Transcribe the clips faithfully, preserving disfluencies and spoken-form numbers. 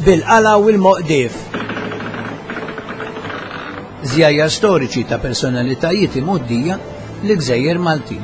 Bil-qala u l-moqdif. Żjajjar storiċi ta' personalitajiet imgħoddija l-Gżejjer Maltin.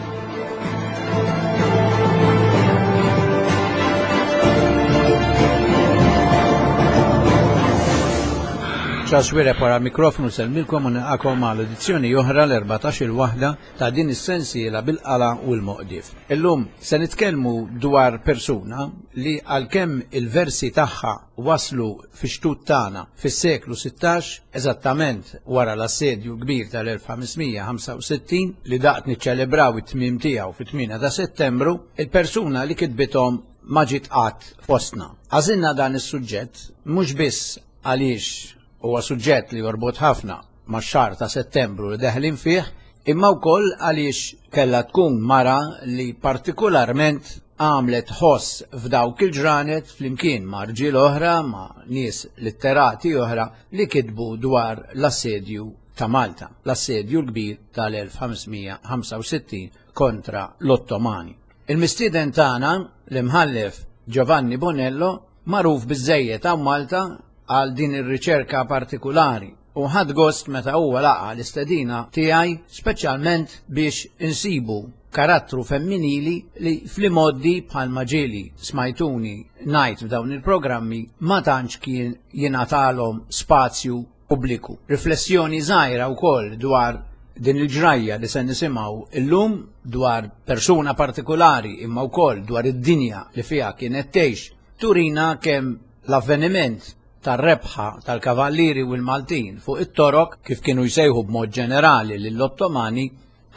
Charles Wira wara mikrofonu sellmilkom u nilqakom għal edizzjoni oħra l-erbatax-il waħda ta' din is-sensiela bil-qala u l-moqdif. Illum se nitkellmu dwar persuna li għalkemm il-versi tagħha waslu fi xtut tagħna fis-seklu sittax, eżattament wara l-assedju kbir tal-elf ħames mija ħamsa u sittin li daqt niċċelebraw it-tmiem tiegħu fit-tmienja ta' Settembru, il-persuna li kitbithom ma ġiet qatt fostna. Għażilna dan is-suġġett mhux biss għaliex huwa suġġett li jorbot ħafna max-xahar ta' Settembru li deħlin fih, imma wkoll għaliex kellha tkun mara li partikolarment għamlet ħoss f'dawk il-ġranet flimkien ma' rġiel oħra, ma' nies litterati oħra li kitbu dwar l-assedju ta' Malta, l-assedju l-kbir tal-elf ħames mija ħamsa u sittin kontra l-Ottomani. Il-mistieden tagħna, l-imħallef Giovanni Bonello, magħruf biżżejjed hawn Malta għal din ir-riċerka partikolari u ħad gost meta huwa laqa l-istedina tiegħi speċjalment biex insibu karattru femminili li fl-imoddi bħalma ġieli smajtuni ngħid f'dawn il-programmi ma tantx kien jingħatalhom spazju pubbliku. Riflessjoni żgħira wkoll dwar din il-ġrajja li se nisimgħu illum dwar persuna partikolari imma wkoll dwar id-dinja li fiha kienet tgħix turina kemm l-avveniment tar-rebħa tal-Kavallieri u l-Maltin fuq it-Torok, kif kienu jsejħu b'mod ġenerali lill-Ottomani,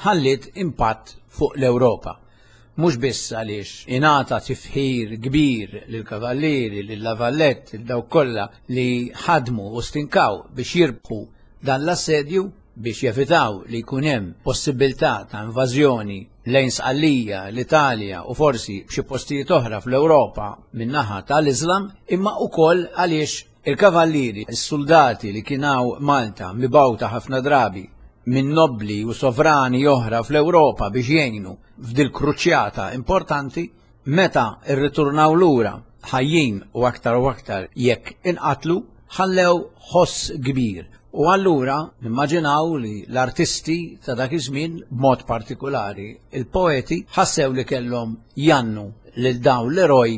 ħalliet impatt fuq l-Ewropa. Mhux biss għaliex ingħata tifħir kbir lill-Kavallieri, lil-Lavallett, lil dawk kollha li ħadmu u stinkaw biex jirbħu dan l-assedju biex jevitaw li jkun hemm possibilità ta' invażjoni lejn Sqallija, l-Italja u forsi b'xi postijiet oħra fl-Ewropa min-naħa tal-Iżlam, imma wkoll għaliex il-kavallieri, is-soldati li kienaw Malta mibgħuta ħafna drabi minn nobli u sovrani oħra fl-Ewropa biex jgħinu f'dil kruċjata importanti, meta rriturnaw lura ħajjin u aktar u aktar jekk inqatlu, ħallew ħoss kbir. U allura nimmaġinaw li l-artisti ta' dak iż-żmien, b'mod partikolari il-poeti, ħassew li kellhom jannu lil dawn l-eroj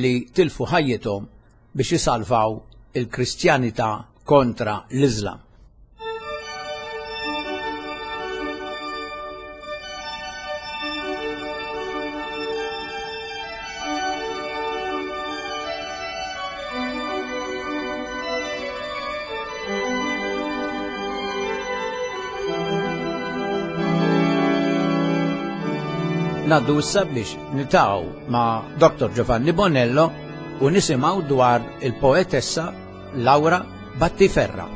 li tilfu ħajjithom biex jisalvaw il-Kristjanità kontra l-Iżlam. Naddu issa biex niltaqgħu ma' Doktor Giovanni Bonello u nisimgħu dwar il-poetessa Laura Battiferra.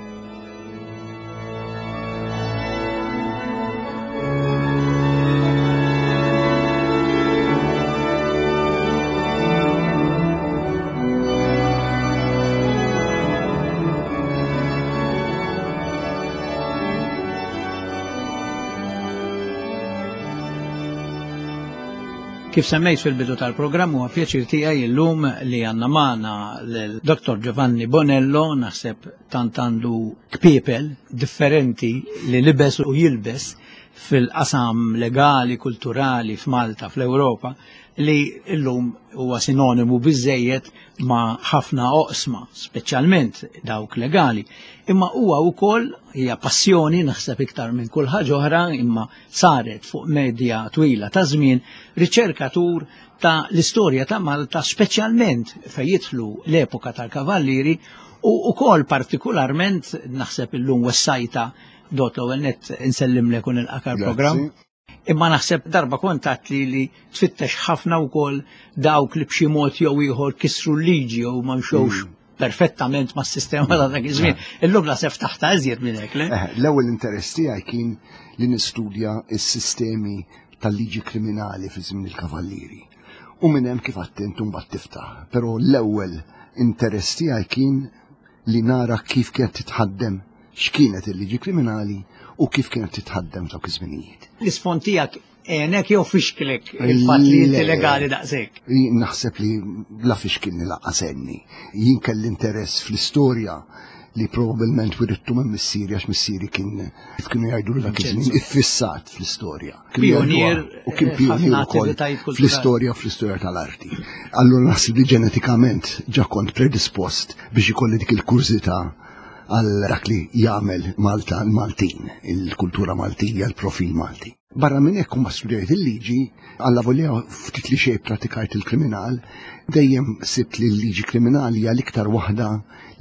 Kif semmejt fil-bidu tal-programm, huwa pjaċir tiegħi llum li għandna magħna lil Doktor Giovanni Bonello, naħseb tant għandu kpiepel differenti li libes u jilbes fil-qasam legali, kulturali f'Malta, fl-Ewropa, li llum huwa sinonimu biżejjed ma' ħafna oqsma, speċjalment dawk legali. Imma huwa wkoll hija passjoni naħseb iktar minn kull ħaġa oħra, imma saret fuq medja twila ta' żmien, riċerkatur ta' l-istorja ta' Malta, speċjalment fejn jidħlu l-epoka tal-Kavallieri u wkoll partikolarment naħseb illum wessajta dot l-ewwel nett insellimlek u nilqak għall-programm. Grazzi. Imma naħseb darba kontat li li tfittex ħafna wkoll dawk li b'xi mod jew ieħor kisru l-liġi jew ma mxewx Mm. perfettament mas-sistema ta' dak iż-żmien. Illum naħseb taħta iżjed minn hekk, le? Eh, l-ewwel interess tiegħi kien li nistudja s-sistemi tal-liġi kriminali fi żmien il-Kavallieri. U minn hemm kif attent mbagħad tiftaħ. Però l-ewwel interess tiegħi kien li nara kif kienet titħaddem, x'kienet il-liġi kriminali u kif kienet titħaddem dawk iż-żminijiet. L-isfond tiegħek Għenek jew fixklek il-fatt li inti legali daqshekk? Naħseb li la fixkilni lanqas għenni. Jien kelli interess fl-istorja li probabbilment wirittu minn missieri, għax missieri kien, kif kienu jgħidu dak iż-żmien, iffissat fl-istorja. Pionier u kien pionier ukoll fl-istorja u fl-istorja tal-arti. Allura naħseb li ġenetikament ġa kont predispost biex ikolli dik il-kurżità għal dak li jagħmel Malta l-Maltin, il-kultura Maltija, il-profil Malti. Barra minn hekk ma studjajt il-liġi, allavolja ftit li xejn pratikajt il-kriminal, dejjem sibt li l-liġi kriminali hija l-iktar waħda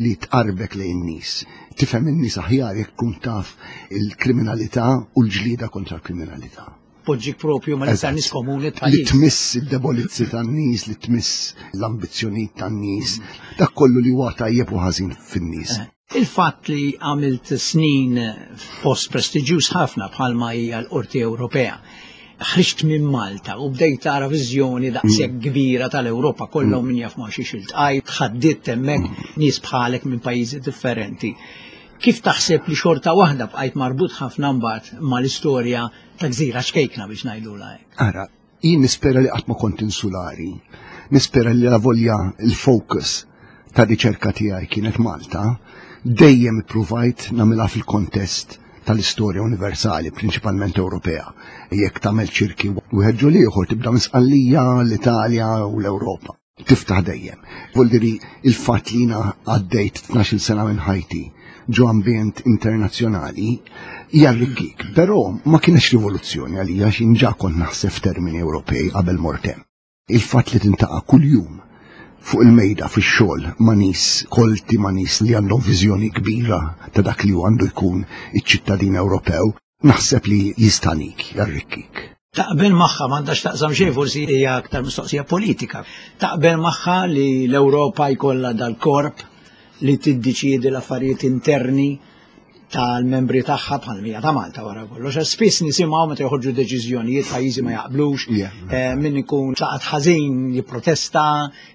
li tqarbek lejn nies. Tifhem in-nies aħjar jekk tkun taf il-kriminalità u l-ġlieda kontra l-kriminalità. Poġġik propju ma l-iktar nies komuni Li tmiss id-debolizzi tan-nies, li tmiss l-ambizzjonijiet tan-nies, dak kollu li huwa tajjeb u ħażin fin-nies. Il-fatt li għamilt snin f'post prestiġjuż ħafna bħalma hija l-Qorti Ewropea, ħriġt minn Malta u bdejt tara viżjoni daqshekk kbira tal-Ewropa kollha u min jaf ma xiex iltqajt, ħaddiet hemmhekk nies bħalek minn pajjiżi differenti. Kif taħseb li xorta waħda bqajt marbut ħafna mbagħad mal-istorja ta' gżira ċkejkna biex ngħidulha hekk? Ara, jien nispera li qatt ma kont insulari, nispera li la volja il-focus ta' riċerka tiegħi kienet Malta, dejjem ippruvajt nagħmilha fil-kontest tal-istorja universali, prinċipalment Ewropea. Jekk tagħmel ċirki wieħed ġol ieħor tibda minn Sqallija, l-Italja u l-Ewropa. Tiftaħ dejjem. Vuol il-fatt li jiena għaddejt tnax-il sena minn ħajti ġo ambjent internazzjonali jarrikkik, però ma kienx rivoluzzjoni għalija x'in ġa kont naħseb f'termini Ewropej qabel mortem. Il-fatt li tintaqa' kuljum fuq il-mejda fix-xogħol ma' nies kolti, ma' nies li għandhom viżjoni kbira ta' dak li għandu jkun iċ-ċittadin Ewropew, naħseb li jistanik, jarrikkik. Taqbel magħha m'għandax taqsam xejn, forsi hija aktar mistoqsija politika. Taqbel magħha li l-Ewropa jkollha dal-korp li tiddeċiedi l-affarijiet interni tal-membri tagħha bħal mija ta' Malta wara kollox. Spiss nisimgħu meta joħorġu deċiżjonijiet pajjiżi ma jaqblux, min ikun tlaqat ħażin jipprotesta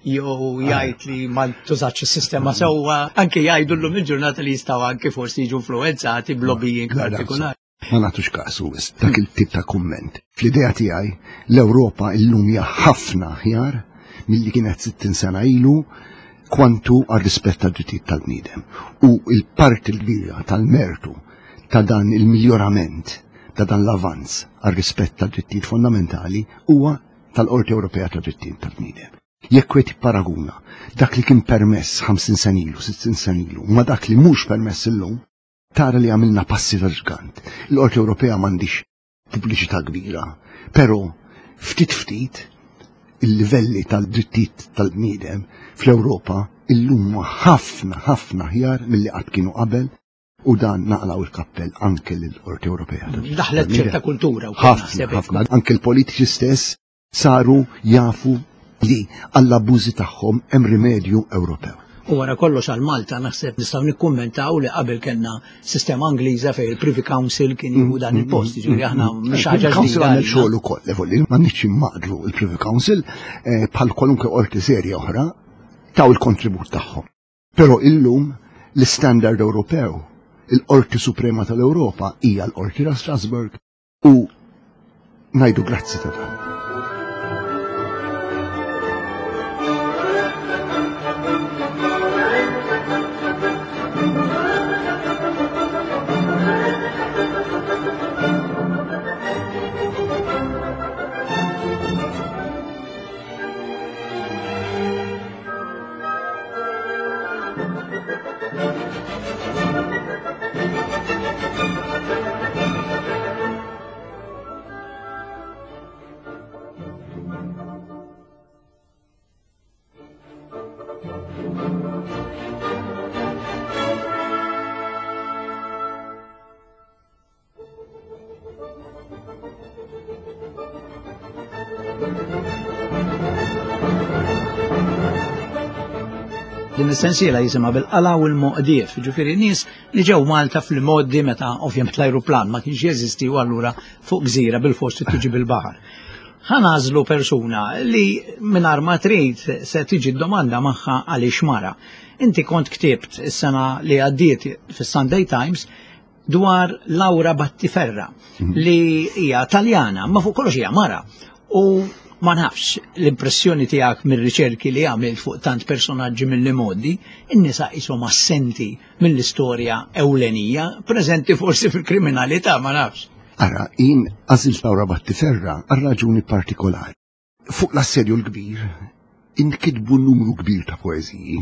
jew jgħid li ma tużax is-sistema sewwa, anke jgħidu llum il-ġurnata li jistgħu anke forsi jiġu influwenzati b'lobbying partikolari. Ma nagħtux kasu dak il-tip ta' kumment. Fl-idea tiegħi l-Ewropa llum hija ħafna aħjar milli kienet sittin sena ilu kwantu għal rispett tad-drittijiet tal-bniedem. U il-parti l-kbira tal-mertu ta' dan il-miljorament, ta' dan l-avanz għal rispett tad-drittijiet fondamentali huwa tal-Qorti Ewropea tad-Drittijiet tal-Bniedem. Jekk wieħed jipparaguna dak li kien permess ħamsin sena ilu, sittin sena ilu, ma dak li mhux permess illum, tara li għamilna passi ta' ġgant. Il-Qorti Ewropea m'għandix pubbliċità kbira, però ftit ftit il-livelli tal-drittijiet tal-bniedem fl-Ewropa illum ħafna ħafna ħjar milli qatt kienu qabel, u dan naqlaw il-kappell anke lill-Qorti Ewropea. Daħlet ċerta kultura wkoll. Ħafna, ħafna. Anke l-politiċi stess saru jafu li għall-abbużi tagħhom hemm rimedju Ewropew. U wara kollox għal Malta naħseb nistgħu nikkummentaw li qabel kellna sistema Ingliża fejn il-Privy Council kien jieħu dan il-post, jiġifieri aħna mhix ħaġa ġdida. Council għamel xogħol ukoll, evolli, ma nixx immaqdru il-Privy Council bħal kwalunkwe qorti serja oħra taw il-kontribut tagħhom. Però illum l-istandard Ewropew, il-Qorti Suprema tal-Ewropa hija l-Qorti ta' Strasbourg u ngħidu grazzi ta' dan. Din is-sensiela jisimha bil-qala u l-moqdief, ġifieri nies li ġew Malta fil-modi meta ovvjament l-ajruplan ma kienx jeżisti u allura fuq gżira bil-fost tiġi bil-baħar. Ħa nagħżlu persuna li mingħajr ma trid se tiġi d-domanda magħha għaliex mara. Inti kont ktibt is-sena li għaddiet fis-Sunday Times dwar Laura Battiferra mm-hmm. li hija Taljana, ma fuq kollox hija mara. U ma nafx l-impressjoni tiegħek mir-riċerki li għamilt fuq tant personaġġi mill-modi, in-nisa qishom assenti mill-istorja ewlenija, preżenti forsi fil-kriminalità, ma nafx. Ara, jien għażilt Laura Battiferra għal raġuni partikolari. Fuq l-assedju l-kbir inkitbu numru kbir ta' poeżiji.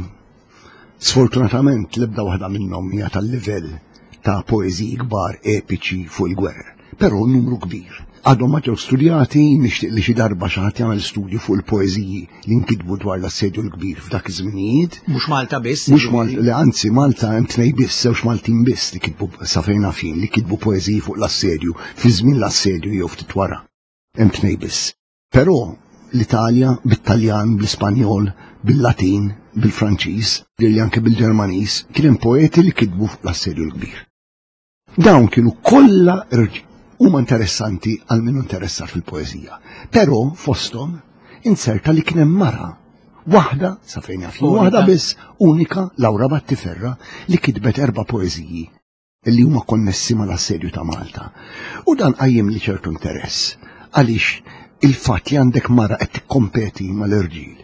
Sfortunatament l-ebda waħda minnhom hija tal-livell ta' poeżiji kbar epiċi fuq il-gwerra, però numru kbir. Għadhom ma ġew studjati, nixtieq li xi darba xi ħadd jagħmel studju fuq il-poeżiji li nkitbu dwar l-assedju l-kbir f'dak iż-żminijiet. Mhux Malta biss. Mhux Malta, li anzi Malta hemm tnejn biss, żewġ Maltin biss li kitbu sa fejn fin li kitbu poeżiji fuq l-assedju fi żmien l-assedju jew ftit wara. Hemm tnejn biss. Però l-Italja bit-Taljan, bl-Ispanjol, bil-Latin, bil-Franċiż, li anke bil-Ġermaniż, kien hemm poeti li kitbu fuq l-assedju l-kbir. Dawn kienu kollha irġiel. Huma interessanti għal min interessat fil-poeżija. Però fosthom inserta li kien hemm mara waħda sa fejn jaf waħda biss unika Laura Battiferra li kitbet erba' poeżiji li huma konnessi mal-assedju ta' Malta. U dan qajjem li ċertu interess għaliex il-fatt li għandek mara qed tikkompeti mal-irġiel.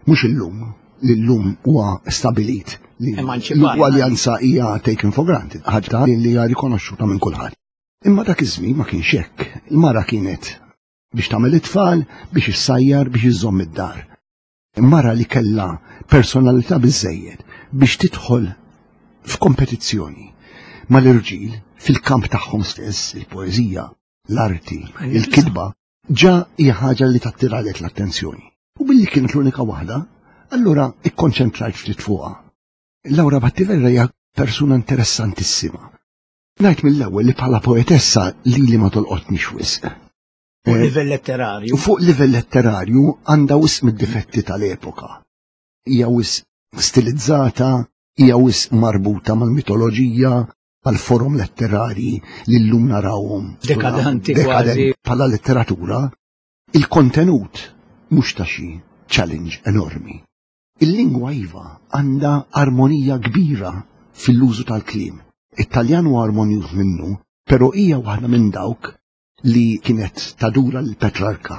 Mhux illum, li llum huwa stabilit li l-ugwaljanza hija taken for granted, ħaġa li hija rikonoxxuta minn kulħadd. Imma dak iż-żmien ma kienx hekk. Il-mara kienet biex tagħmel it-tfal, biex issajjar, biex iżżomm id-dar. Mara li kellha personalità biżżejjed biex tidħol f'kompetizzjoni mal-irġiel fil-kamp tagħhom stess, il-poeżija, l-arti, il-kitba, ġa hija ħaġa li tattiralek l-attenzjoni. U billi kienet l-unika waħda, allura ikkonċentrajt ftit fuqha. Laura Battiferra hija persuna interessantissima. Ngħid mill-ewwel li bħala poetessa li li ma tolqotnix wisq. Fuq livell letterarju. Fuq livell letterarju għandha wisq mid-difetti tal-epoka. Hija wisq stilizzata, hija wisq marbuta mal-mitoloġija, mal-forum letterari li llum narawhom. Dekadanti kważi. Bħala letteratura, il-kontenut mhux ta' xi challenge enormi. Il-lingwa iva għandha armonija kbira fil-użu tal-kliem. It-Taljan huwa armonjuż minnu, però hija waħda minn dawk li kienet tadura l-Petrarka.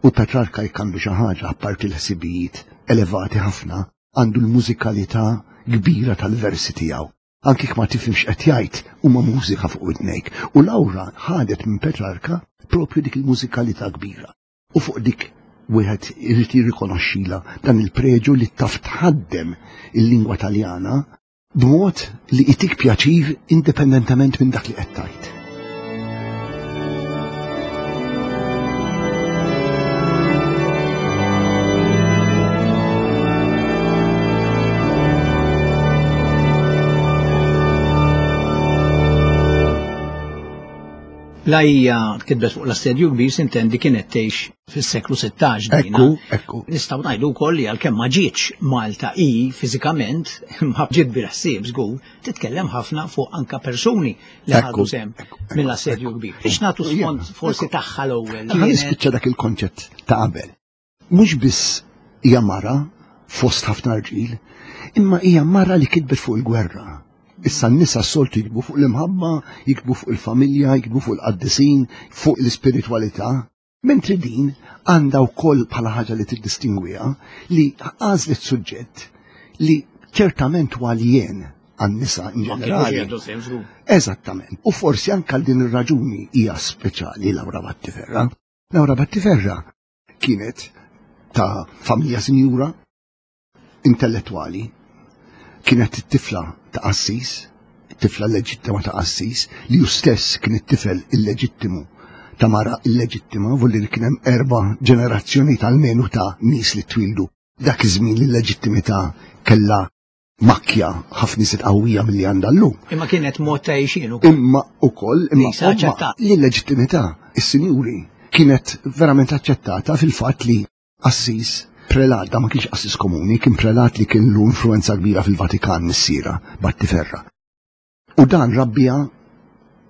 U Petrarka jekk għandu xi ħaġa apparti l-ħsibijiet elevati ħafna, għandu l-mużikalità kbira tal-versi tiegħu. Anki ma tifhimx qed jgħid huma mużika fuq widnejk. U Laura ħadet minn Petrarka propju dik il-mużikalità kbira. U fuq dik wieħed irid jirrikonoxxila dan il-preġu li taf tħaddem il-lingwa Taljana b'mod li itik pjaċir indipendentement minn dak li qed tgħid. La hija kitbet fuq l-assedju kbir sintendi kienet tgħix fis-seklu sittax dina. Ekku, ekku. Nistgħu ngħidu wkoll li għalkemm ma ġietx Malta hi fiżikament, imma ġiet bil-ħsieb żgur, titkellem ħafna fuq anka persuni li ħadu sehem mill-assedju kbir. Biex nagħtu sfond forsi tagħha l-ewwel. Ħa nispiċċa dak il-konċett ta' qabel. Mhux biss hija mara fost ħafna rġiel, imma hija mara li kitbet fuq il-gwerra. Issa n-nisa s-soltu jiktbu fuq l-imħabba, jiktbu fuq il-familja, jiktbu fuq il-qaddisin, fuq l-ispiritualità. Mentri din għandha wkoll bħala ħaġa li tiddistingwiha li għażlet suġġett li ċertament huwa aljen għan-nisa in ġenerali. Eżattament. U forsi anke għal din ir-raġuni hija speċjali Laura Battiferra. Laura Battiferra kienet ta' familja sinjura, intellettwali, kienet it-tifla ta' qassis, it-tifla leġittima ta' qassis, li hu stess kien it-tifel illeġittimu ta' mara illeġittima, volli li kien hemm erba' ġenerazzjoni tal-menu ta' nies li twildu. Dak iż-żmien li l-leġittimità kellha makkja ħafna iżjed qawwija milli għandha llum. Imma kienet mod ta' għixien ukoll. Imma ukoll, imma li l-leġittimità, is-sinjuri, kienet verament aċċettata fil-fatt li qassis prelat, da ma kienx qassis komuni, kien prelat li kien lu influenza kbira fil-Vatikan missiera Battiferra. U dan rabbija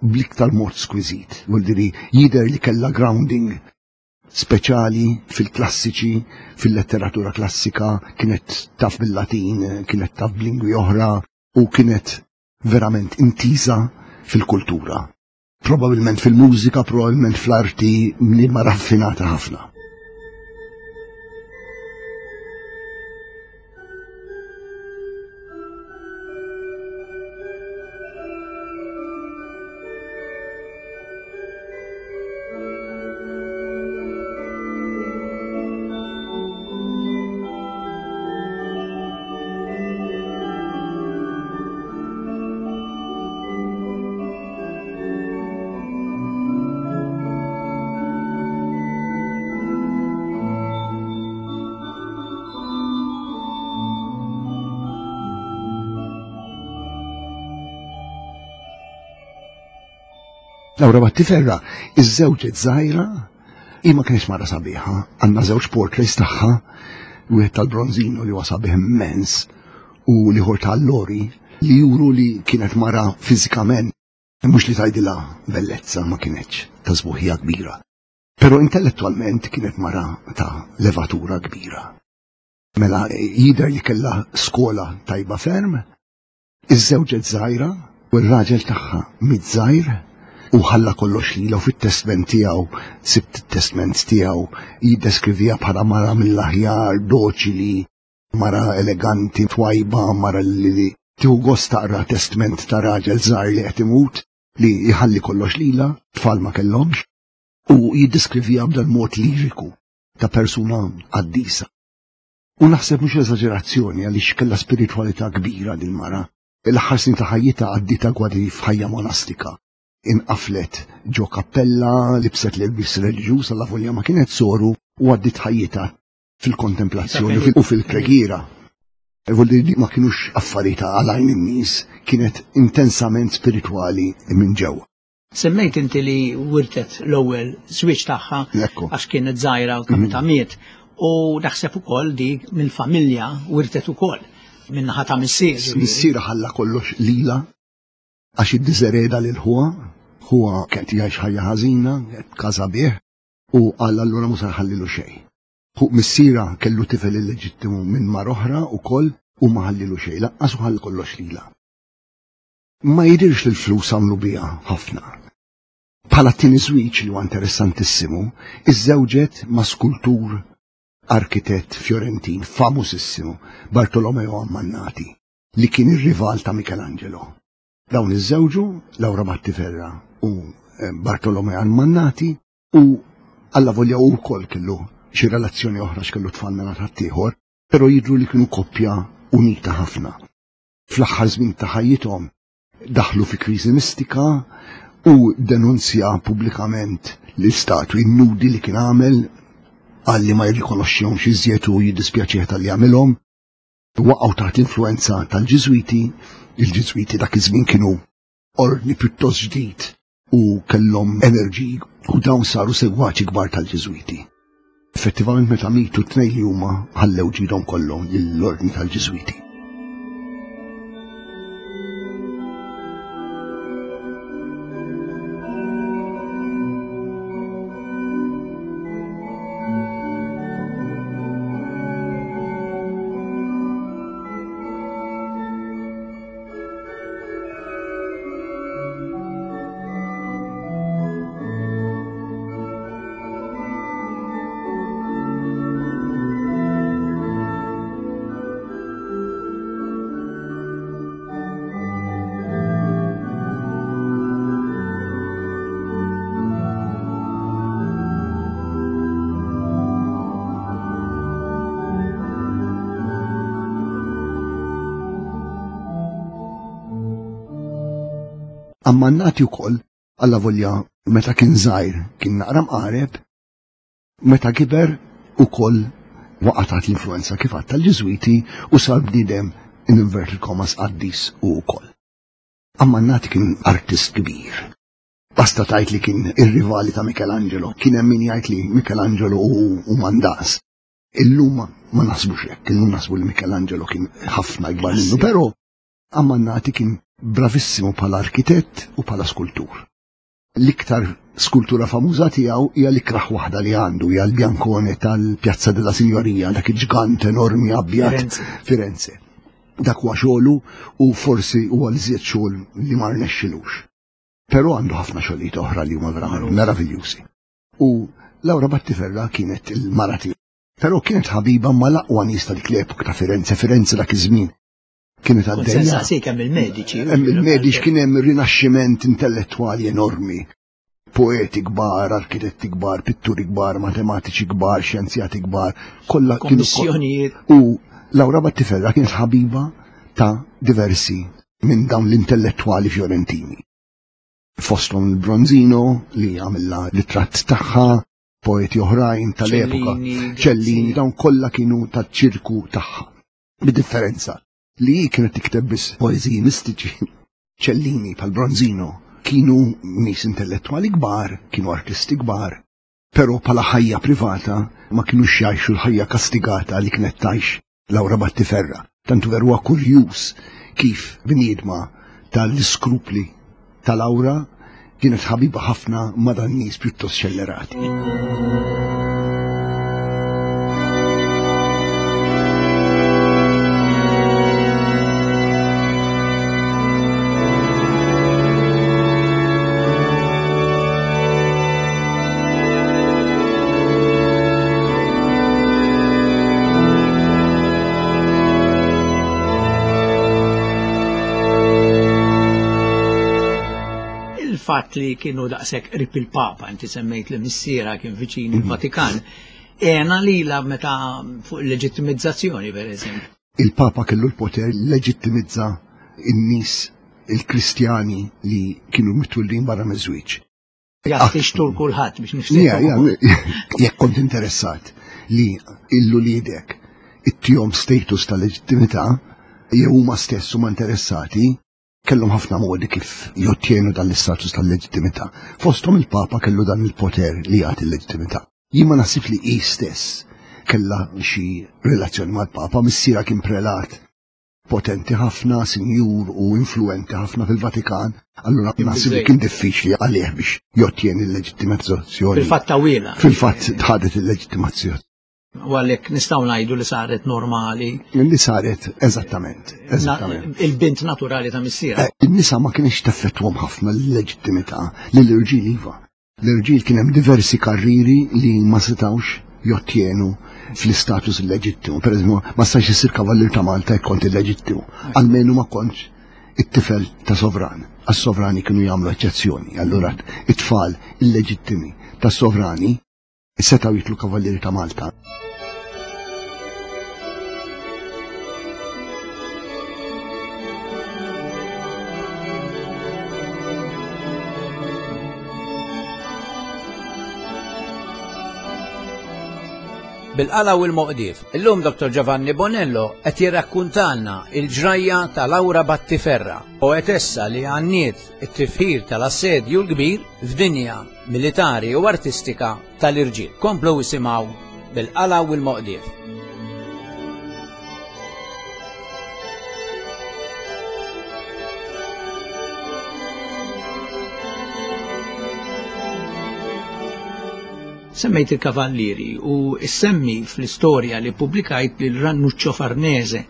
bl-iktar mod skwiżit, vuol dire jidher li kellha grounding speċjali fil-klassiċi, fil-letteratura klassika, kienet taf bil-Latin, kienet taf b'lingwi oħra u kienet verament intiża fil-kultura. Probabilment fil-mużika, probabilment fl-arti li ma raffinata ħafna. Laura Battiferra, iż-żewġet żgħira, hi ma kienx mara sabiħa, għandna żewġ portraits tagħha, wieħed tal-Bronzino li huwa sabiħ immens u l-ieħor tal-Lori li juru li kienet mara fiżikament, mhux li tgħidilha bellezza, ma kienetx ta' sbuħija kbira. Però intellettualment kienet mara ta' levatura kbira. Mela jidher li kellha skola tajba ferm, iż-żewġet żgħira u r-raġel tagħha miet żgħir u ħalla kollox lilha, u fit-testment tiegħu, sibt it-testment tiegħu, jiddeskrivija bħala mara mill-aħjar, doċili, mara eleganti, twajba, mara li tieħu gost taqra testment ta' raġel żgħar li qed imut, li jħalli kollox lilha, tfal ma kellhomx, u jiddeskrivija b'dan mod liriku ta' persuna qaddisa. U naħseb mhux eżaġerazzjoni għaliex kellha spiritwalità kbira din mara. L-aħħar snin ta' ħajjitha għaddietha kważi f'ħajja monastika. Inqaflet ġo kappella, libset l-ilbis reliġjuż alla volja ma kienet soru, u għaddit ħajjitha fil-kontemplazzjoni u fil-pregiera. Vuol dire ma kienux affarijiet għal għajn in-nies, kienet intensament spiritwali minn ġewwa. Semmejt inti li wirtet l-ewwel żwieġ tagħha Ekku. għax kienet żgħira u kemm ta' miet, u naħseb ukoll dik mill-familja wirtet ukoll min-naħa ta' missier. Missiera ħalla kollox lilha għax iddiżereda lil ħuha, ħuha kien jgħix ħajja ħażina, każa bih, u qal allura mhux se nħallilu xejn. Hu missiera kellu tifel illeġittimu minn mar oħra wkoll u ma ħallilu xejn, laqqas u ħalli kollox lilha. Ma jidhirx li l-flus għamlu biha ħafna. Bħala t-tieni żwieġ li huwa interessantissimu, iżżewġet ma' skultur arkitett Fiorentin famusissimu, Bartolomeo Ammannati, li kien ir-rival ta' Michelangelo. Dawn iżżewġu, Laura Battiferra u, eh, Bartolomeo Ammannati, u alla volja u wkoll kellu xi relazzjoni oħra x'kellu tfal minn ħaddieħor, però jidhru li kienu koppja unita ħafna. Fl-aħħar żmien ta' ħajjithom daħlu fi kriżi mistika u denunzja pubblikament l-istatwi nudi li kien għamel, qal li ma jirrikonoxxihomx iżjed u jiddispjaċih tal-li għamilhom. Waqgħu taħt l-influenza tal-Ġiżwiti, il-Ġiżwiti dak iż-żmien kienu ordni pjuttost ġdid u kellhom enerġiji u dawn saru segwaċi kbar tal-Ġiżwiti. Effettivament meta mitu t-tnejn li huma ħallew ġidhom kollhom lill-ordni tal-Ġiżwiti. Ammannati wkoll, alla volja meta kien żgħir kien naqra mqareb, meta kiber ukoll waqa' taħt l-influenza kif għadd tal-Ġiżwiti u sar bniedem in inverted commas qaddis u wkoll. Ammannati kien artist kbir. Basta tajt li kien ir-rivali ta' Michelangelo, kien hemm min jgħid li Michelangelo u, u Mandas. Illum ma naħsbux hekk, illum naħsbu li Michelangelo kien ħafna ikbar minnu, però Ammannati kien bravissimo bħala arkitett u bħala skultur. L-iktar skultura famuża tiegħu hija l-ikraħ waħda li għandu, hija l-Biancone tal-Piazza della Signoria, dak il-ġgant enormi abjad Firenze. Firenze. Dak huwa xogħlu u forsi huwa l-żied xogħol li ma rnexxilux. Però għandu ħafna xogħlijiet oħra li huma verament meraviljużi. U Laura Battiferra kienet il-mara tiegħu. Però kienet ħabiba ma l-aqwa nies ta' dik l-epoka ta' Firenze, Firenze dak iż-żmien. Kienet għaddejja. Sensaqsik hemm il-mediċi. Hemm il-mediċi kien hemm rinaxximent intellettwali enormi. Poeti kbar, arkitetti kbar, pitturi kbar, matematiċi kbar, xjenzjati kbar, kollha kienu Kommissjonijiet. U Laura Battiferra kienet ħabiba ta' diversi minn dawn l-intellettwali fiorentini. Fosthom il-Bronzino li għamilla ritratt tagħha, poeti oħrajn tal-epoka, Ċellini, dawn kollha kienu taċ-ċirku tagħha. Bid-differenza li hi kienet tikteb biss poeżiji mistiċi. Ċellini pal Bronzino kienu nies intellettwali kbar, kienu artisti kbar, però bħala ħajja privata ma kienux jgħixu l-ħajja kastigata li kienet tgħix Laura Battiferra. Tantu veru huwa kurjuż kif bniedma tal-iskrupli ta' Laura kienet ħabiba ħafna ma' dan nies pjuttost xellerati. Il-fatt li kienu daqshekk qrib il-Papa, inti semmejt li missiera kien viċin il-Vatikan, għena lila meta fuq il-leġittimizzazzjoni, per eżempju. Il-Papa kellu l-poter leġittimizza n-nies il-Kristjani li kienu mitwildin barra miż-żwieġ. Jaf tixtur kulħadd biex Ja, nifsir. ja, jekk kont interessat li l-uliedek ittihom status ta' leġittimità, jew huma stess huma interessati, kellhom ħafna modi kif jottjenu dan l-istatus tal-leġittimità. Fosthom il-Papa kellu dan il-poter li jagħti l-leġittimità. Jien ma naħsib li hi stess kellha xi relazzjoni mal-Papa, missiera kien prelat potenti ħafna, sinjur u influenti ħafna fil-Vatikan, allura naħseb li kien diffiċli għalih biex jottjeni l-leġittimazzjoni. Fil-fatt tawila. Fil-fatt tħadet il-leġittimazzjoni. U għalhekk nistgħu ngħidu li saret normali. Li saret, eżattament, eżattament. Il-bint naturali ta' missiera. Eh, In-nisa ma kienx teffettwhom ħafna l-leġittimità lill-irġiel iva. L-irġiel kien hemm diversi karriri li ma setgħux jottjenu fl-istatus illeġittimu. Per eżempju, ma stax issir kavallier ta' Malta jekk kont illeġittimu. Almenu ma kontx it-tifel ta' sovran. Għas-sovrani kienu jagħmlu eċċezzjoni. Allura it-tfal illeġittimi ta' sovrani setgħu jitlu kavallieri ta' Malta. Bil-qala u l-moqdif, illum Dottor Giovanni Bonello qed jirrakkuntalna il-ġrajja ta' Laura Battiferra, poetessa li għanniet it-tifħir tal-assedju l-kbir f'dinja militari u artistika tal-irġiel. Komplu isimgħu bil-qala u l-moqdif. Semmejt il-Kavallieri u semmi fl-istorja li pubblikajt lil Ranuccio Farnese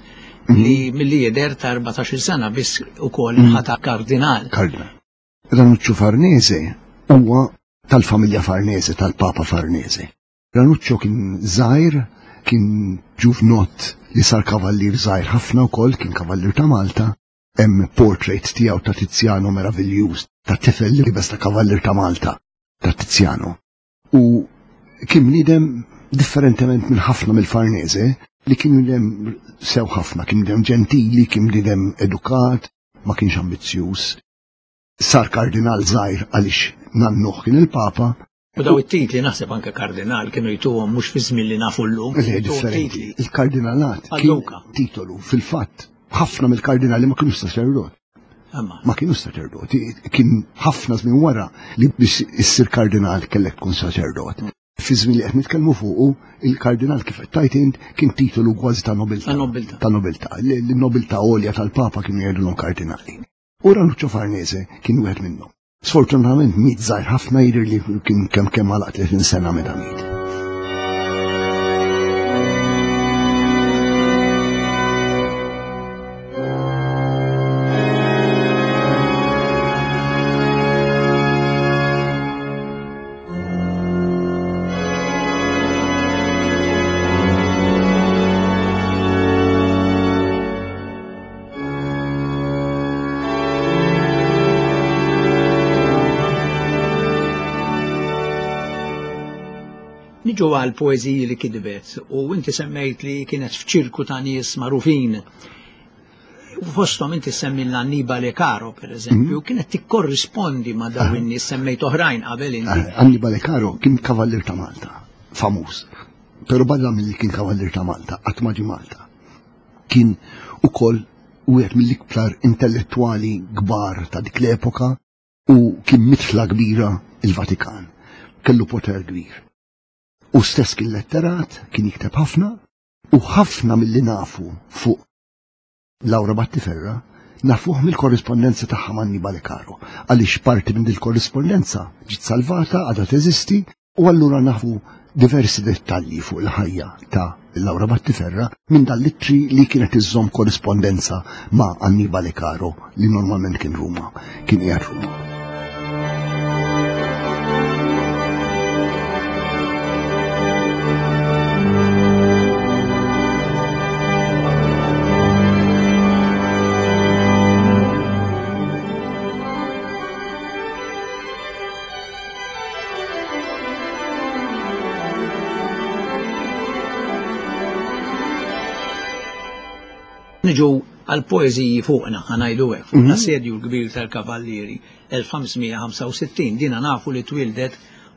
li milli jidher ta' erbatax-il sena biss ukoll ħata kardinal. Kardinal. Ranuccio Farnese huwa tal-familja Farnese, tal-Papa Farnese. Ranuccio kien żgħir, kien ġuvnott li sar kavallier żgħir ħafna wkoll, kien kavallier ta' Malta. Hemm portrait tiegħu ta' Tiziano meraviljuż, ta' tifel li libes ta' kavallier ta' Malta, ta' Tiziano. U kien bniedem differentement minn ħafna mill-Farnese, li kien bniedem sew ħafna, kien bniedem ġentili, kien bniedem edukat, ma kienx ambizzjuż. Sar kardinal żgħir għaliex nannuh kien il-Papa. U daw it-titli naħseb anke kardinal kienu jtuhom mhux fi żmien li nafu llum. Le, jtuhom differenti. titli. Il-kardinalat kien Għal-Luka. titolu fil-fatt ħafna mill-kardinali ma kienux saċerdot. Imma. Ma kienux saċerdoti, kien ħafna żmien wara li biex issir kardinal kellek tkun saċerdot. Fi żmien li qed nitkellmu fuqu, il-kardinal kif qed tajt int kien titolu kważi ta' nobiltà. Ta' nobiltà. Ta' nobiltà. L-nobiltà għolja tal-Papa kienu jgħidulhom kardinali. U Ranuccio Farnese kien wieħed minnhom. Sfortunatament miet żgħir ħafna, jidher li kien kemm kemm għalaq tletin sena meta miet. Niġu għal poeżiji li kitbet u inti semmejt li kienet f'ċirku ta' nies magħrufin. Fosthom inti semmi l-Annibale Caro, per eżempju, kienet tikkorrispondi ma' dawn in-nies, semmejt oħrajn qabel inti. Annibale Caro kien kavallier ta' Malta, famuż. Però barra milli kien kavallier ta' Malta, qatt ma ġie Malta. Kien ukoll wieħed mill-iktar intellettwali kbar ta' dik l-epoka u kien mitla kbira il-Vatikan. Kellu poter kbir. U stess kien letterat, kien jikteb ħafna, u ħafna mill-li nafu fuq Laura Battiferra nafuh mill-korrispondenza tagħha ma' Annibale Caro, għaliex parti minn dil-korrispondenza ġiet salvata, għadha teżisti, u allura nafu diversi dettalji fuq il-ħajja ta' Laura Battiferra minn dal-ittri li kienet iżżomm korrispondenza ma' Annibale Caro li normalment kien Ruma, kien qiegħed Ruma. Niġu għal poeżiji fuqna, ħa ngħidu hekk, fuq l-assedju l-kbir tal-Kavallieri elf ħamsmija ħamsa u sittin, dina nafu li twildet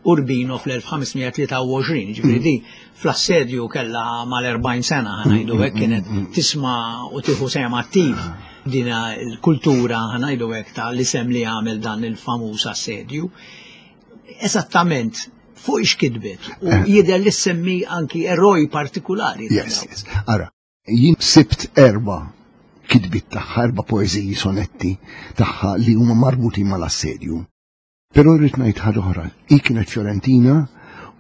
Urbino fl-elf ħamsmija tlieta u għoxrin, ġifieri di fl-assedju kellha mal-erbgħin sena, ħa ngħidu hekk, kienet tisma' u tieħu sehem attiv dina l-kultura, ħa ngħidu hekk, ta' l-isem li għamel dan il-famuż assedju. Eżattament fuq ix kitbet u jidher li semmi anki eroj partikulari. Yes, yes. Ara, jien sibt erba' kitbiet tagħha, erba' poeżiji, sonetti tagħha li huma marbutin mal-assedju. Però rrid ngħid ħaġa oħra, hi kienet Fiorentina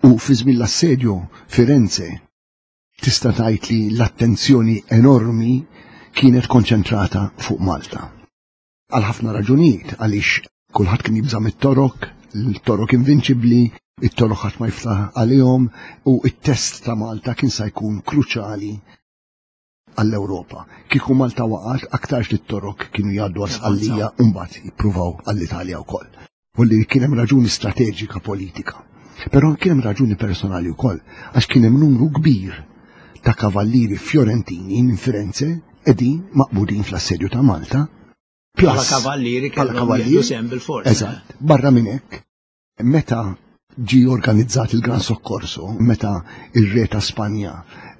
u fi żmien l-assedju Firenze tista' tgħid li l-attenzjoni enormi kienet konċentrata fuq Malta. Għal ħafna raġunijiet, għaliex kulħadd kien jibża' mit-Torok, il-Torok invinċibbli, it-Torok ħadd ma jiftaħ għalihom u it-test ta' Malta kien sa jkun kruċjali għall-Ewropa. Kieku Malta waqgħet, aktarx li t-Torok kienu jgħaddu għal Sqallija u mbagħad jippruvaw għall-Italja wkoll. U li kien hemm raġuni strateġika politika. Però kien hemm raġuni personali wkoll, għax kien hemm numru kbir ta' kavallieri Fiorentini minn Firenze qegħdin maqbudin fl-assedju ta' Malta. Bħala kavallieri Bħala kellhom kavallieri. jieħdu sehem bil-forza. Eżatt. Barra minn hekk, meta ġie organizzat il-Gran Soccorso, meta ir-re ta' Spanja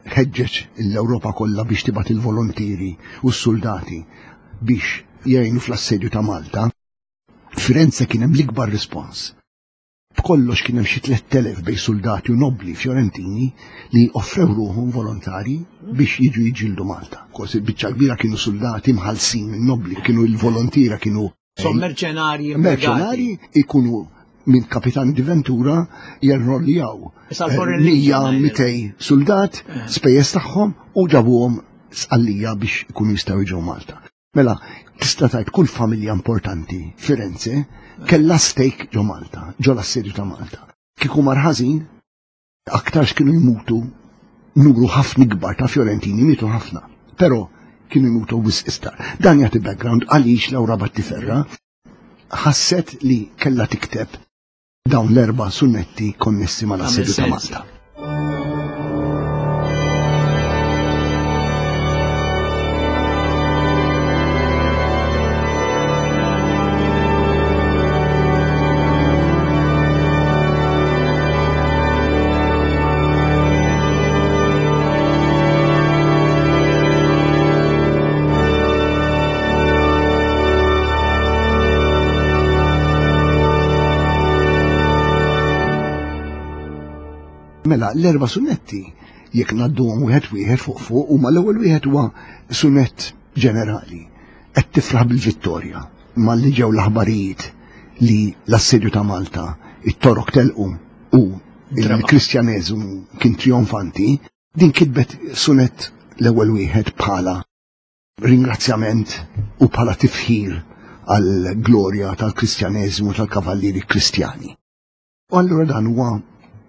ħeġġeġ l-Ewropa kollha biex tibgħat il-volontieri u s-soldati biex jgħinu fl-assedju ta' Malta, Firenze kien hemm l-ikbar rispons. B'kollox kien hemm xi tliet elef bej soldati u nobli Fiorentini li offrew ruħhom volontari biex jiġu jiġġieldu Malta. Kos il-biċċa kbira kienu soldati mħallsin minn nobli, kienu il-volontiera, kienu So merċenarji merċenarji ikunu minn Kapitan di Ventura jerroljaw Issa l-foreign eh, mija legion, mitej soldat, spejjeż tagħhom u ġabuhom Sqallija biex ikunu jistgħu jiġu Malta. Mela, tista' tgħid kull familja importanti Firenze kellha stake ġo Malta, ġo l-assedju ta' Malta. Kieku mar ħażin, aktarx kienu jmutu numru ħafna kbar ta' Fiorentini, mietu ħafna, però kienu jmutu wisq iktar. Dan jagħti background għaliex Laura Battiferra ħasset li kellha tikteb dawn l-erba' sunnetti konnessi mal-assedju ta' Għamel Malta. sens. Mela, l-erba' sunnetti, jekk ngħadduhom wieħed wieħed fuq fuq, huma l-ewwel wieħed huwa sunnett ġenerali. Qed tifraħ bil-vittorja malli ġew l-aħbarijiet li l-assedju ta' Malta, it-Torok telqu u il-Kristjaneżmu kien trionfanti, din kitbet sunnett l-ewwel wieħed bħala ringrazzjament u bħala tifħir għall-glorja tal-Kristjaneżmu tal-Kavallieri Kristjani. U allura dan huwa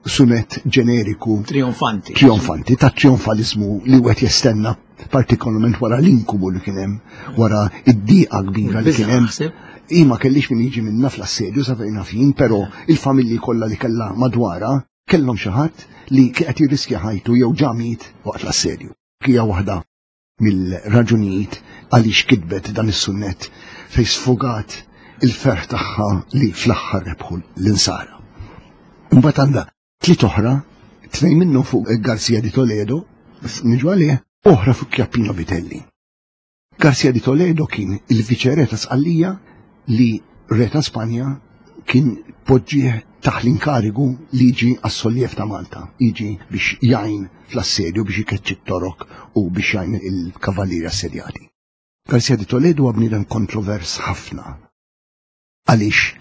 sunet ġeneriku Trionfanti. Trionfanti, ta' trionfalizmu li wieħed jistenna partikolarment wara l-inkubu li kien hemm, wara id-diqa kbira li kien hemm. Naħseb. Hi ma kellix min jiġi minna fl-assedju sa fejn naf jien, però il-familji kollha li kellha madwarha Kellhom xi ħadd li qed jirriskja ħajtu jew ġa miet waqt l-assedju. Hija waħda mill-raġunijiet għaliex kitbet dan is-sunnett fejn sfugat il-ferħ tagħha li fl-aħħar rebħu l-insara. Imbagħad għandha tliet oħra, tnejn minnhom fuq Garcia di Toledo, niġu għalih, oħra fuq Chiappino Vitelli. Garcia di Toledo kien il-viċere ta' Sqallija li re ta' Spanja kien poġġih taħt l-inkarigu li jiġi għas-solliev ta' Malta, jiġi biex jgħin fl-assedju biex ikeċċi t-Torok u biex jgħin il-kavallieri assedjati. Garcia di Toledo huwa bniedem kontrovers ħafna. Għaliex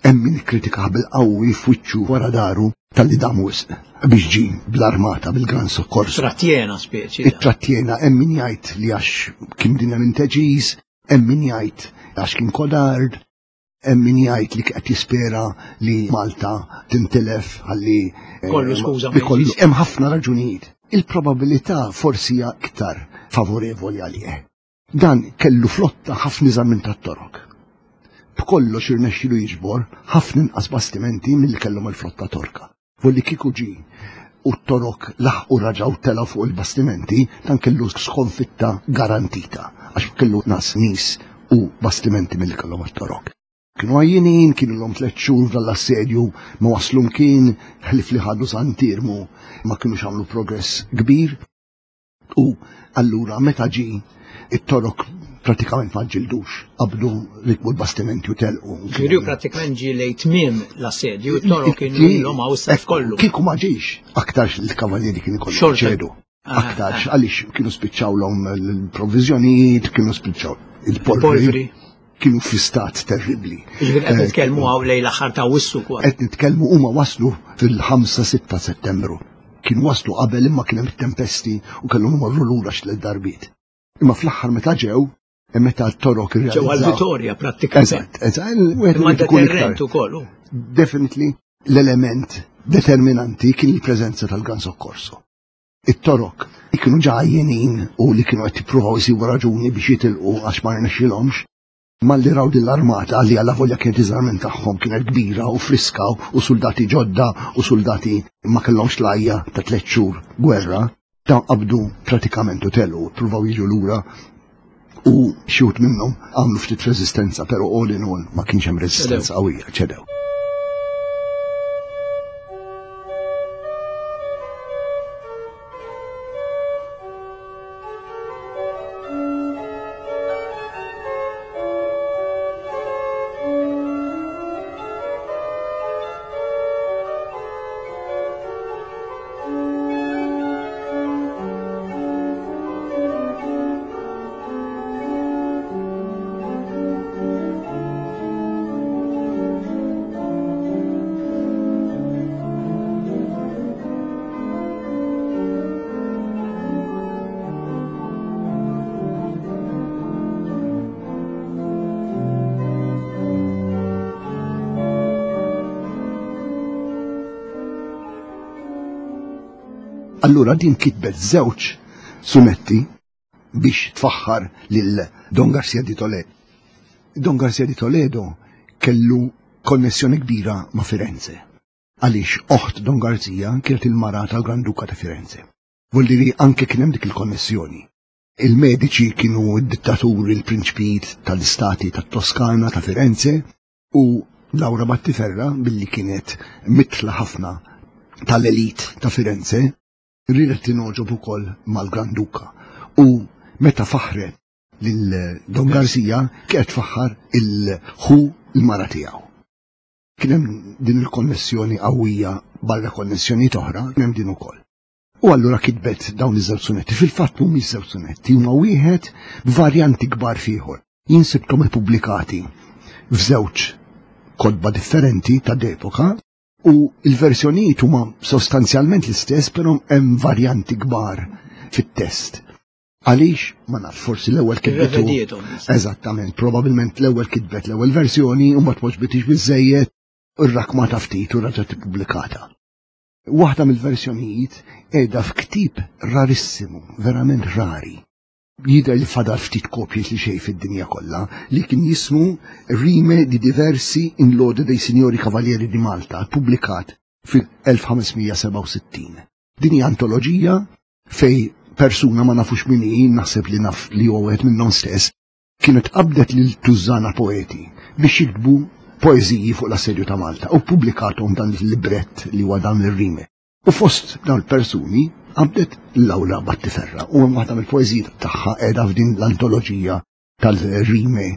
hemm min ikkritika bil-qawwi f'wiċċu wara daru talli dam wisq biex ġie bl-armata bil-Gran Soccorso. Trattjena speċi. It-trattjena hemm min jgħid li għax kien bniedem inteġiż, hemm min jgħid għax kien kodard, hemm min jgħid li qed jispera li Malta tintilef ħalli eh, Kollu skuża ma li kollu. jiġix. Hemm ħafna raġunijiet. Il-probabilità forsi hija iktar favorevoli għalih. Dan kellu flotta ħafna iżgħar minn tat-Torok. B'kollox irnexxielu jiġbor ħafna inqas bastimenti milli kellhom il-flotta Torka. Volli kieku ġie u t-Torok laħqu raġgħu telgħu fuq il-bastimenti, dan kellu skonfitta garantita għax kellu nas nies u bastimenti milli kellhom it-Torok. Kienu għajjinin, kienu l-om tliet xhur dal-assedju, ma waslu mkien, ħlif li ħadu Sant'Iermu, ma kienux għamlu progress kbir. U allura meta ġie it-Torok pratikament ma ġildux, qabdu rikbu l-bastimenti u telqu. Ġifieri prattikament ġie lejn tmiem l-assedju, it-Torok kienu ilhom hawn s-sajf kollu. Kieku ma ġiex, aktarx il-kavallieri kienu kollu Xorta. ċedu. Ah, Aktarx, ah. għaliex kienu spiċċawlhom l-provviżjonijiet, kienu spiċċaw il-polvri. Il-polvri. Kienu fi stat terribli. Ġifieri qed Eh, nitkellmu hawn lejn l-aħħar ta' Awwissu kważi. Qed nitkellmu huma waslu fil-ħamsa sitta Settembru. Kienu waslu qabel imma kien hemm tempesti u kellhom imorru lura x'tliet darbiet. Imma fl-aħħar meta ġew, meta t-Torok Ġew irrealizzaw. għal-Vitorja prattikament. Eżatt, eżatt, wieħed Imma irid ikun iktar. deterrent ukoll. hu. Definitely l-element determinanti kien il-preżenza tal-Gran Soccorso. It-Torok li kienu ġa għajjenin u li kienu qed jippruvaw isibu raġuni biex jitilqu għax ma rnexxilhomx, malli raw din l-armata li għalla volja kienet iżgħar minn tagħhom kienet kbira u friska u soldati ġodda u soldati ma kellhomx lajja ta' tliet xhur gwerra, dawn qabdu pratikament u telqu, pruvaw jiġu lura u xi wħud minnhom għamlu ftit reżistenza, però all in all ma kienx hemm reżistenza qawwija, ċedew. Allura din kitbet żewġ sunetti biex tfaħħar lil Don Garcia di Toledo. Don Garcia di Toledo kellu konnessjoni kbira ma' Firenze. Għaliex oħt Don Garcia kienet il-mara tal-Gran Duka ta' Firenze. Vuol dire anke kien hemm dik il-konnessjoni. Il-Medici kienu d-dittaturi, il-prinċpijiet tal-istati tat-Toskana ta' Firenze u Laura Battiferra billi kienet mitla ħafna tal-elit ta' Firenze riedet tinogħġob ukoll mal-Gran Duka. U meta faħret lil Don Garcia kienet tfaħħar il-ħu il-mara tiegħu. Kien hemm din il-konnessjoni qawwija barra konnessjoni oħra, kien hemm din ukoll. U allura kitbet dawn iż-żewġ sunetti. Fil-fatt mhumiex żewġ sunetti, huma wieħed b'varjanti kbar f'ieħor. Jien sibthom ippubblikati f'żewġ kotba differenti ta' epoka u il-versjonijiet huma sostanzjalment l-istess, però hemm varjanti kbar fit-test. Għaliex, ma nafx, forsi l-ewwel kitbetu. Irrevedietom. Eżattament, probabilment l-ewwel kitbet l-ewwel versjoni u ma tpoġbitix biżejjed irrakmata ftit u raġgħet ippubblikata. Waħda mill-versjonijiet qiegħda f'ktieb rarissimu, verament rari. Jidher li fadal ftit kopji li xejn fid-dinja kollha, li kien jismu Rime di diversi in lode dei signori Cavalieri di Malta, pubblikat fil-elf ħames mija sebgħa u sittin. Din hija antoloġija fej persuna ma nafux min hi, naħseb li naf li huwa wieħed minnhom stess, kienet qabdet lil tużana poeti biex jiktbu poeżiji fuq l-assedju ta' Malta u pubblikathom dan il-librett li huwa dan ir-rime. U fost dawn il-persuni qabdet Laura Battiferra u hemm waħda mill-poeżiji tagħha qiegħda f'din l-antoloġija tal-rime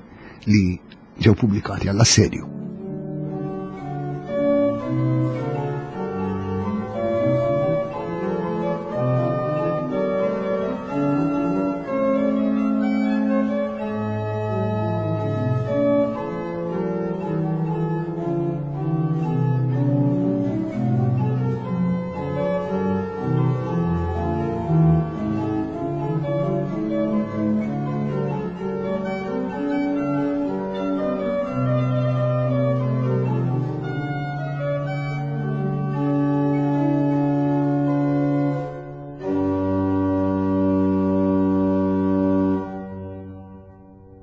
li ġew pubblikati għall-assedju.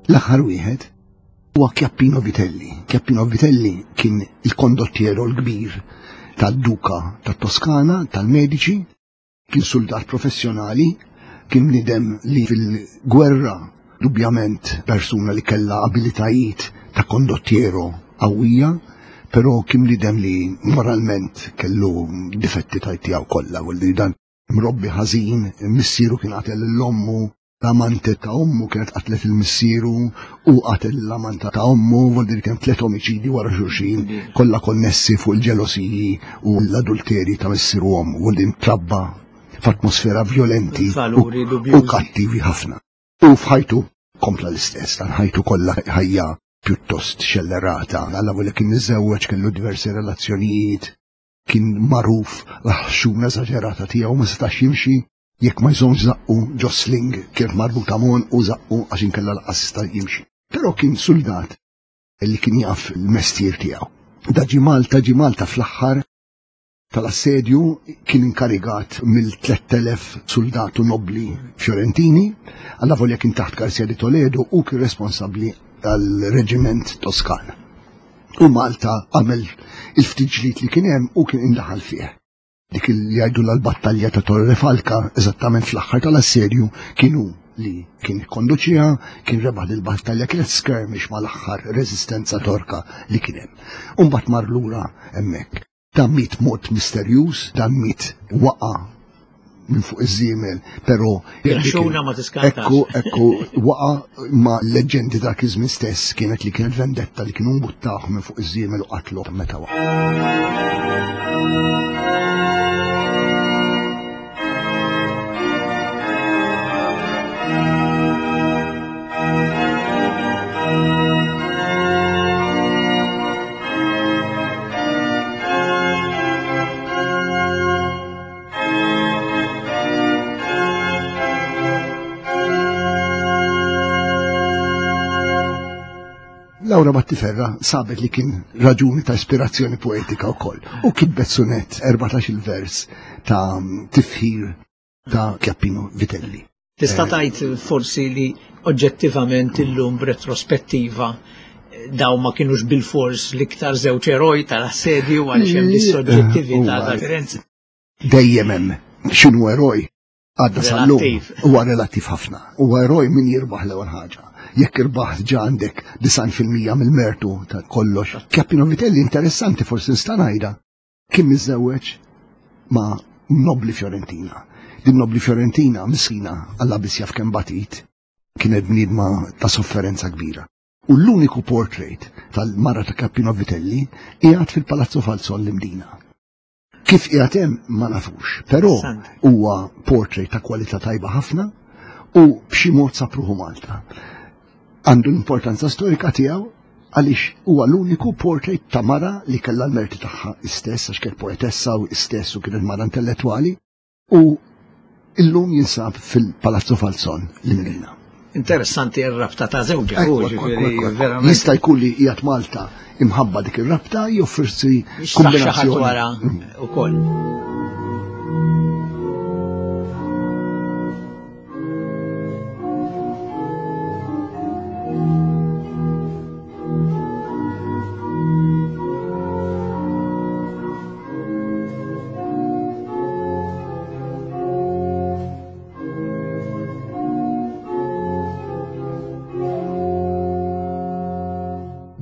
L-aħħar wieħed huwa Chiappino Vitelli. Chiappino Vitelli kien il-kondottiero l-kbir tad-Duka tat-Toskana, tal-Medici, kien soldat professjonali, kien bniedem li fil-gwerra dubjament persuna li kellha abilitajiet ta' kondottiero qawwija, però kien bniedem li moralment kellu difetti ta' tiegħu kollha, u li dan mrobbi ħażin, missieru kien qatel lil ommu, l-amante ta' ommu kienet qatlet il-missieru u qatel l-amante ta' ommu, vuol dire kien tliet omiċidi wara xulxin, kollha konnessi fuq il-ġelosiji u l-adulteri ta' missieru u ommu, vuol dire trabba f'atmosfera violenti Valuri u, dubjużi. u kattivi ħafna. U f'ħajtu kompla l-istess, dan ħajtu kollha ħajja pjuttost xellerata. Alla volja kien miżżewweġ, kellu diversi relazzjonijiet, kien magħruf l-ħxuna eżaġerata tiegħu, ma setax jimxi jekk ma jżommx zaqqu ġo sling kien marbuta mon u zaqqu għax inkella lanqas jista' jimxi. Però kien soldat li kien jaf il-mestier tiegħu. Da ġie Malta, ġie Malta fl-aħħar tal-assedju, kien inkarigat mill-tlett elef soldatu nobli Fiorentini, alla volja kien taħt Garcia di Toledo u kien responsabbli għal-reġiment Toskan. U Malta għamel il-ftit ġlied li kien hemm u kien indaħal fih. Dik li jgħidu l-battalja ta' Torre Falca, eżattament fl-aħħar tal-assedju, kienu li kien konduċija, kien rebaħ il-battalja, kienet skirmish mal-aħħar reżistenza torka li kien hemm. U mbagħad mar lura hemmhekk. Dan miet mod misterjuż, dan miet waqa minn fuq iż-żiemel, però Xuna ma tiskantax. Ekku, ekku, waqa ma leġendi dak iż-żmien stess kienet li kienet vendetta li kienu mbuttawh minn fuq iż-żiemel u qatlu meta waqa. Laura Battiferra sabet li kien raġuni ta' ispirazzjoni poetika wkoll u kitbet sunet erbatax il-vers ta' tifħir ta' Chiappino Vitelli. Tista' tgħid forsi li oġġettivament illum b'retrospettiva daw ma kienux bil-fors l-iktar żewġ eroj tal-assedju għaliex hemm dis-soġġettività ta' Firenze. Dejjem hemm x'inhu eroj għadda sal-lum Relattiv. huwa relattiv ħafna. Huwa eroj min jirbaħ l-ewwel ħaġa. Jekk irbaħ ġa għandek disgħin fil-mija mill-mertu ta' kollox. Chiappino Vitelli interessanti forsi nista' ngħidha kien miżżewweġ ma' nobli Fiorentina. Din nobli Fiorentina miskina Alla biss jaf kemm batit, kienet bniedma ta' sofferenza kbira. U l-uniku portrait tal-mara ta' Chiappino Vitelli qiegħed fil-Palazzo Falzon l-Imdina. Kif qiegħed hemm ma nafux, però Interessante. huwa portrait ta' kwalità tajba ħafna u b'xi mod sapruħu Malta. Għandu l-importanza storika tiegħu għaliex huwa l-uniku portrait ta' mara li kellha l-merti tagħha istess, għax kienet poetessa u istess u kienet mara intellettwali, u illum jinsab fil-Palazzo Falzon l-Imdina. Interessanti r-rabta ta' żewġha, Ekku, u ekku, ġifieri ekku, ekku. verament Jista' jkun li qiegħed Malta imħabba dik ir-rabta jew forsi xi ħadd kombinazzjoni. wara ukoll.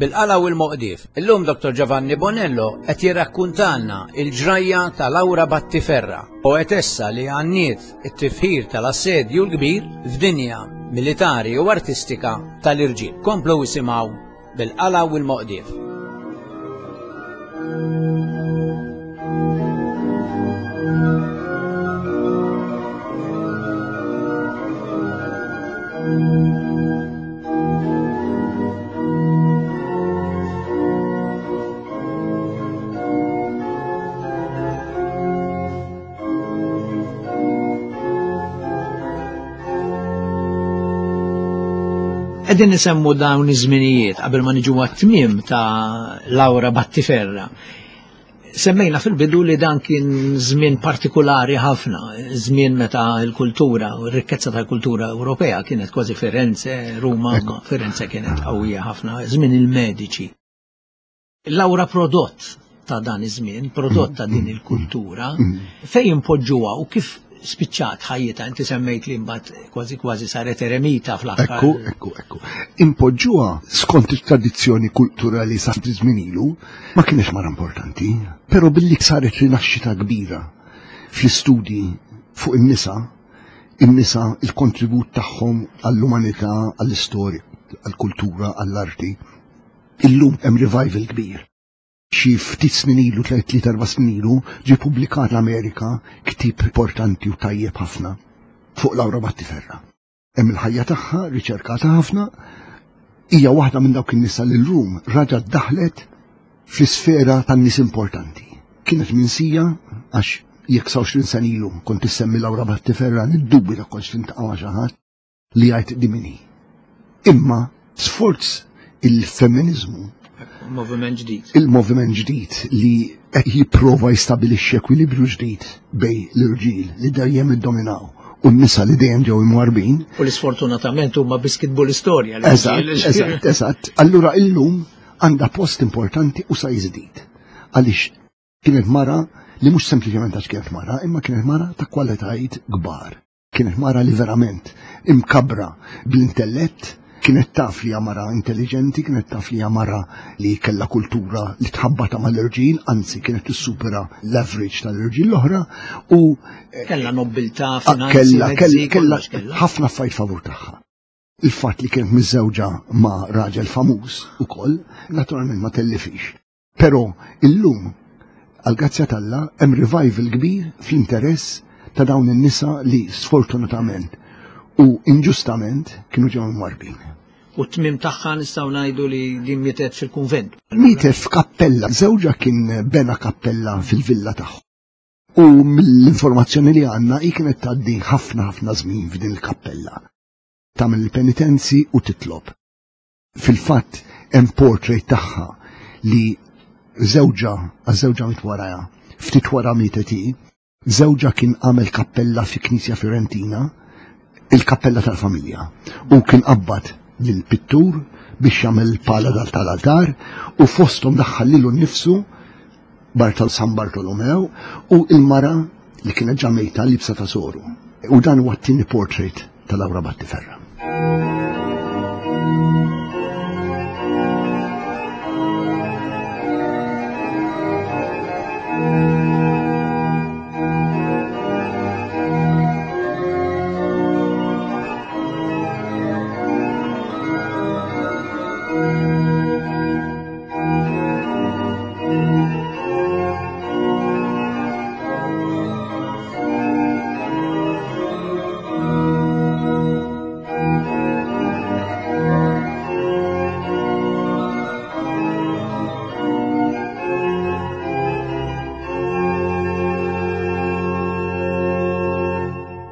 Bil-Qala u l-Moqdief. Illum Dottor Giovanni Bonello qed jirrakkuntalna il-ġrajja ta' Laura Battiferra, poetessa li għanniet it-tifħir tal-Assedju l-Kbir f'dinja militari u artistika tal-irġiel. Komplu isimgħu Bil-Qala u l-Moqdief. Qegħdin nisemmu dawn iż-żminijiet qabel ma niġu għat-tmiem ta' Laura Battiferra. Semmejna fil-bidu li dan kien żmien partikolari ħafna, żmien meta l-kultura u r-rikkezza tal-kultura Ewropea kienet kważi Firenze, Ruma, Firenze kienet qawwija ħafna, żmien il-mediċi. Laura prodott ta' dan iż-żmien, prodott ta' din il-kultura, fejn impoġġuha u kif spiċċat ħajjita, inti semmejt li mbagħad kważi kważi saret eremita fl-aħħar. Ekku, ekku, ekku. Impoġġuha skont it-tradizzjoni kulturali sa żmien ilu ma kienx mara importanti, però billi saret rinaxxita kbira fl-istudji fuq in-nisa, in-nisa il-kontribut tagħhom għall-umanità, għall-istorja, għall-kultura, għall-arti. Illum hemm revival kbir. Xi ftit snin ilu, tliet erba' snin ilu, ġie ppubblikat l-Amerika ktieb importanti u tajjeb ħafna fuq Laura Battiferra. Hemm il-ħajja tagħha riċerkata ħafna, hija waħda minn dawk in-nisa li llum raġgħet daħlet fl-isfera tan-nies importanti. Kienet minsija għax jekk sa għoxrin sena ilu kont issemmi Laura Battiferra niddubita kontx tintaqa' ma' xi ħadd li jgħid di min hi. Imma sforz il-femminizmu, Moviment ġdid. Il-moviment ġdid li qed jipprova jistabilixxi ekwilibrju ġdid bejn l-irġiel li dejjem iddominaw u n-nisa li dejjem ġew imwarbin. U li sfortunatament huma biss kitbu l-istorja. Eżatt, eżatt, eżatt. Allura illum għandha post importanti u sa jiżdied. Għaliex kienet mara li mhux sempliċement għax kienet mara, imma kienet mara ta' kwalitajiet kbar. Kienet mara li verament imkabra bl-intellett, kienet taf li mara intelligenti, kienet taf li mara li kella kultura li tħabbata mal-irġiel, anzi kienet tissupera l-average tal-irġiel l-oħra u kella nobiltà, finanzi, kella kella ħafna affarijiet favur tagħha. Il-fatt li kienet miżżewġa ma' raġel famuż ukoll, naturalment ma tellifix. Però illum għall-grazzja t'Alla hemm revival kbir fl-interess ta' dawn in-nisa li sfortunatament u inġustament kienu ġew imwarbin. U t-tmiem tagħha nistgħu ngħidu li din mietet fil-kunvent. Mietet f'kappella, żewġha kien bena kappella fil-villa tagħha. U mill-informazzjoni li għandna hi kienet tgħaddi ħafna ħafna żmien f'din il-kappella. Tagħmel il-penitenzi u titlob. Fil-fatt hemm portrait tagħha li żewġha, għaż-żewġha miet warajha, ftit wara mietet hi, żewġha kien għamel kappella fi Knisja Fiorentina, il-kappella tal-familja, u kien qabbad lill-pittur biex jagħmel il-pala tal-altar u fosthom daħħal lilu nnifsu Bartal San Bartolomew u il-mara li kienet ġa mejta libsa ta' soru. U dan huwa t-tieni portrait ta' Laura Battiferra.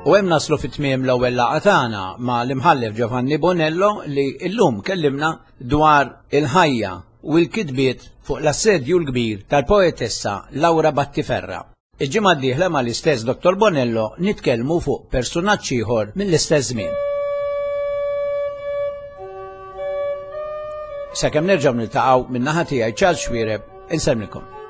U hemm naslu fit-tmiem l-ewwel laqgħa tagħna ma' l-imħallef Giovanni Bonello li llum kellimna dwar il-ħajja u l-kitbiet fuq l-assedju l-kbir tal-poetessa Laura Battiferra. Il-ġimgħa d-dieħla mal-istess Dottor Bonello nitkellmu fuq personaġġ ieħor mill-istess żmien. Sakemm nerġgħu niltaqgħu min-naħa tiegħi Charles Xuereb, insellmilkom.